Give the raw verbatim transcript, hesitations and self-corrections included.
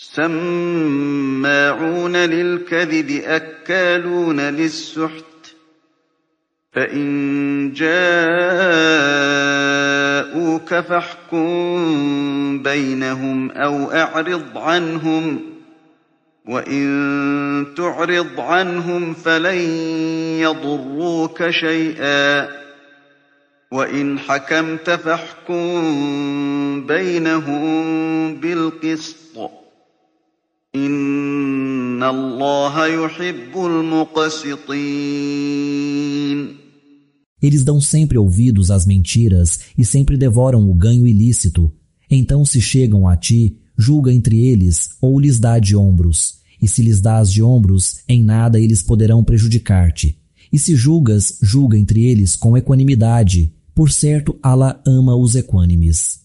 سماعون للكذب أكالون للسحت فإن جاءوك فاحكم بينهم أو أعرض عنهم وإن تعرض عنهم فلن يضروك شيئا وإن حكمت فاحكم بينهم بالقسط إن الله يحب المقسطين. Eles dão sempre ouvidos às mentiras e sempre devoram o ganho ilícito. Então se chegam a ti, julga entre eles ou lhes dá de ombros. E se lhes dás de ombros, em nada eles poderão prejudicar-te. E se julgas, julga entre eles com equanimidade. Por certo, Allah ama os equânimes.